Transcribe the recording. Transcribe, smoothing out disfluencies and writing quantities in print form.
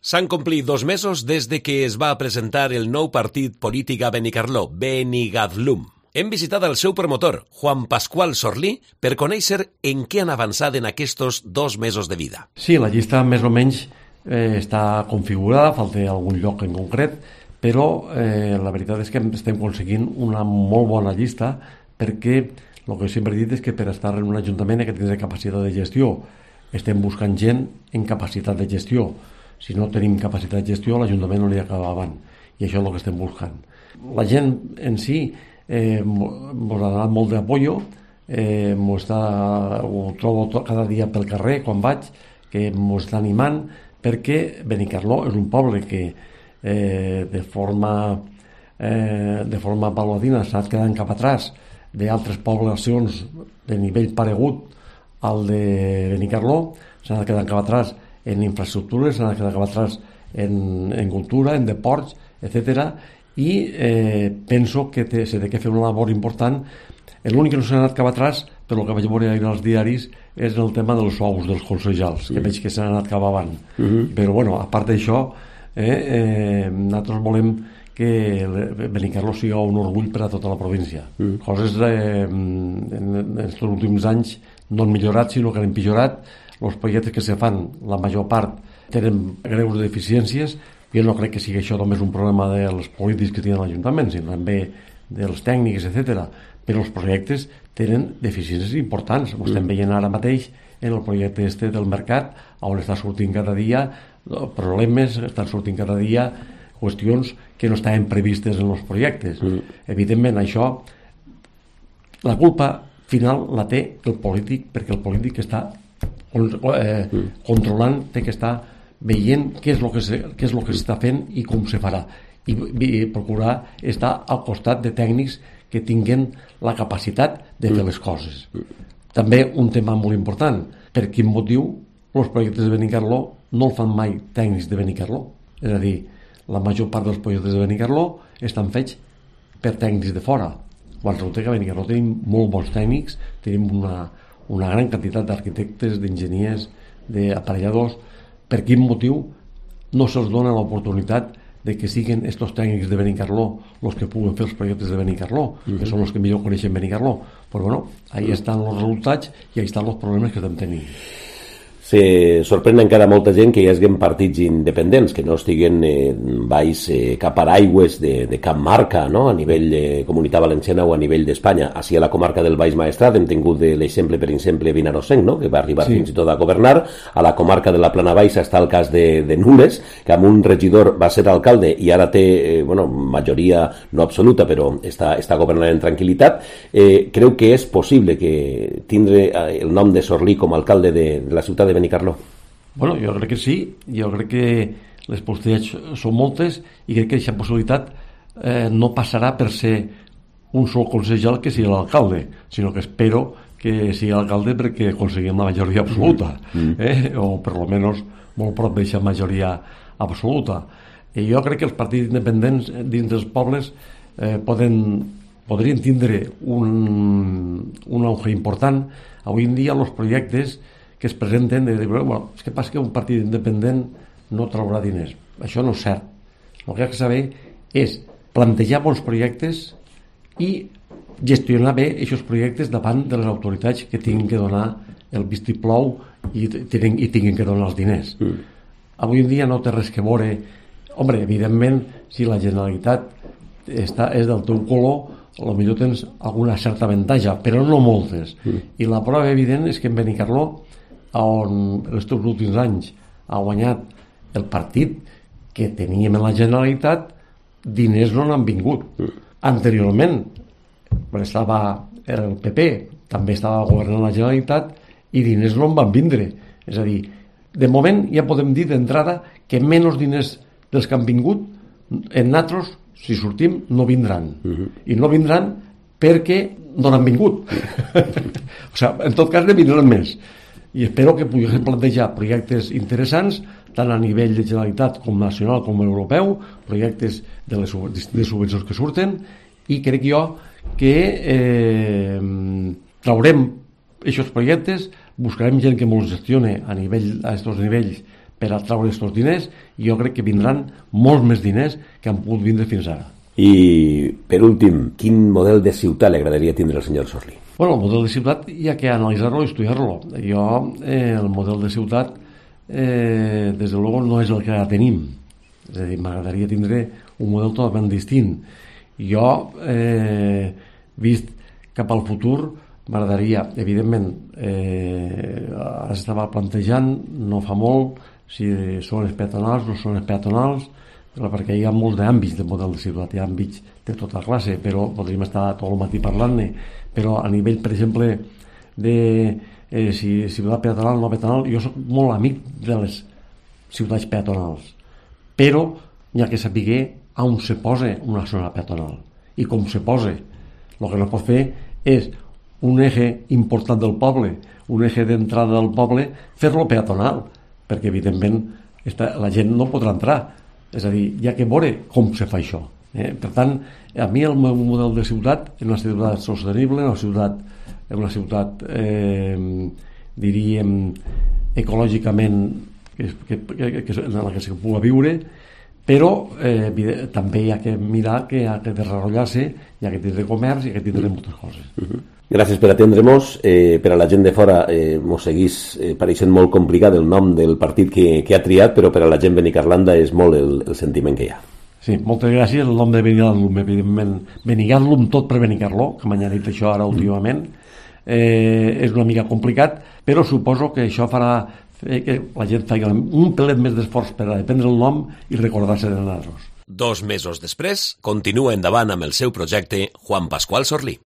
S'han complit 2 mesos des de que es va presentar el nou partit polític a Benicarló, Benigadlum. Hem visitat el seu promotor, Juan Pascual Sorlí, per conèixer en què han avançat en aquests 2 mesos de vida. Sí, la llista més o menys està configurada, falta algun lloc en concret, però la veritat és que estem aconseguint una molt bona llista perquè el que sempre he dit és que per estar en un ajuntament hay que tenir capacitat de gestió. Estem buscant gent en capacitat de gestió. Si no tenim capacitat de gestió, l'Ajuntament no li acabaven. I això és el que estem buscant. La gent en si ens ha donat molt d'apoyo, ho trobo cada dia pel carrer quan vaig, que ens està animant, perquè Benicarló és un poble que de forma paulatina s'ha anat quedant cap atràs d'altres poblacions de nivell paregut al de Benicarló, s'ha anat quedant cap atràs en infraestructures, s'ha anat quedant cap atràs en cultura, en deports, etc. I penso que s'ha de fer una labor important. L'únic que no s'ha anat cap atràs, per el que vaig veure ahir als diaris, és el tema dels sous dels consellals, que veig que s'han anat cap avant. Però bueno, a part d'això, nosaltres volem que Benicarló sigui un orgull per a tota la província. Coses en els últims anys no han millorat, sinó que han empitjorat. Els projectes que se fan, la major part tenen greus deficiències. Jo no crec que sigui això només un problema dels polítics que tenen l'Ajuntament, sinó també dels tècnics, etc. Però els projectes tenen deficiències importants. Ho estem veient ara mateix en el projecte del mercat, on està sortint cada dia problemes, estan sortint cada dia qüestions que no estaven previstes en els projectes. Evidentment, això, la culpa final la té el polític, perquè el polític està controlant, té que estar veient què és el que s'està fent i com se farà, i procurar estar al costat de tècnics que tinguin la capacitat de fer les coses. També un tema molt important: per quin motiu els projectes de Benicarló no el fan mai tècnics de Benicarló? És a dir, la major part dels projectes de Benicarló estan fets per tècnics de fora, quan resulta que a Benicarló tenim molt bons tècnics, tenim una gran quantitat d'arquitectes, d'enginyers, d'aparelladors. Per quin motiu no se'ls dona l'oportunitat de que siguin estos tècnics de Benicarló els que puguen fer els projectes de Benicarló, que són els que millor coneixen Benicarló? Però bueno, ahí estan els resultats i ahí estan els problemes que estem tenint. Se sorprèn encara molta gent que hi hagi partits independents, que no estiguen baix cap paraigües de cap marca, no? A nivell de Comunitat Valenciana o a nivell d'Espanya. Així a la comarca del Baix Maestrat hem tingut l'exemple, per exemple, Vinarosenc, no? Que va arribar fins i tot a governar. A la comarca de la Plana Baixa està el cas de Nules, que amb un regidor va ser alcalde i ara té majoria no absoluta, però està governant en tranquil·litat. Creu que és possible que tindre el nom de Sorlí com a alcalde de la ciutat de Benicarló? Bueno, jo crec que sí. Jo crec que les possibilitats són moltes i crec que aquesta possibilitat no passarà per ser un sol consellal que sigui l'alcalde, sinó que espero que sigui l'alcalde perquè aconseguim la majoria absoluta, o per lo menos molt prop d'aquesta majoria absoluta. I jo crec que els partits independents dins dels pobles podrien tindre un auge important. Avui en dia els projectes que es presenten de dir, bueno, és que passa que un partit independent no traurà diners. Això no és cert. El que ha de saber és plantejar bons projectes i gestionar bé aquests projectes davant de les autoritats que tinguin que donar el vistiplau i tinguin que donar els diners. Avui en dia no té res que veure. Home, evidentment, si la Generalitat és del teu color, potser tens alguna certa avantatge, però no moltes. I la prova evident és que en Benicarló, on els últims anys ha guanyat el partit que teníem en la Generalitat, diners no n'han vingut. Anteriorment, quan estava el PP, també estava governant la Generalitat i diners no en van vindre. És a dir, de moment ja podem dir d'entrada que menys diners dels que han vingut en nosaltres, si sortim, no vindran. I no vindran perquè no n'han vingut. O sigui, en tot cas ne vindran més. I espero que puguem plantejar projectes interessants tant a nivell de Generalitat com nacional com europeu, projectes de les subvencions que surten, i crec jo que traurem aquests projectes, buscarem gent que ens gestione a aquests nivells per a treure aquests diners, i jo crec que vindran molts més diners que han pogut vindre fins ara. I, per últim, quin model de ciutat li agradaria tindre al senyor Sorlí? Bueno, el model de ciutat hi ha que analitzar-lo i estudiar-lo. Jo, el model de ciutat, des de luego, no és el que ara tenim. És a dir, m'agradaria tindre un model totalment distint. Jo, vist cap al futur, m'agradaria, evidentment, ara s'estava plantejant, no fa molt, si són els peatonals o no són els peatonals, perquè hi ha molts d'àmbits de model de ciutat, hi ha àmbits de tota classe, però podríem estar tot el matí parlant-ne, però a nivell, per exemple, de si ciutat peatonal o no peatonal, jo soc molt amic de les ciutats peatonals, però hi ha que saber on se posa una zona peatonal i com se posa. El que no pot fer és un eje important del poble, un eje d'entrada del poble, fer-lo peatonal, perquè evidentment la gent no podrà entrar. És a dir, hi ha que veure com se fa això. Per tant, a mi el meu model de ciutat és una ciutat sostenible, una ciutat diríem, ecològicament en la que se pugui viure, però també hi ha que mirar que ha de desenvolupar-se, hi ha que tindre comerç, hi ha que tindre moltes coses. Gràcies per atendre-nos. Per a la gent de fora mos seguís pareixent molt complicat el nom del partit que ha triat, però per a la gent benicarlanda és molt el sentiment que hi ha. Sí, moltes gràcies. El nom de Benigadlum, evidentment, Benigadlum tot per Benicarló, que m'han dit això ara últimament, és una mica complicat, però suposo que això farà que la gent faci un pelet més d'esforç per aprendre el nom i recordar-se de nosaltres. 2 mesos després, continua endavant amb el seu projecte Juan Pascual Sorlí.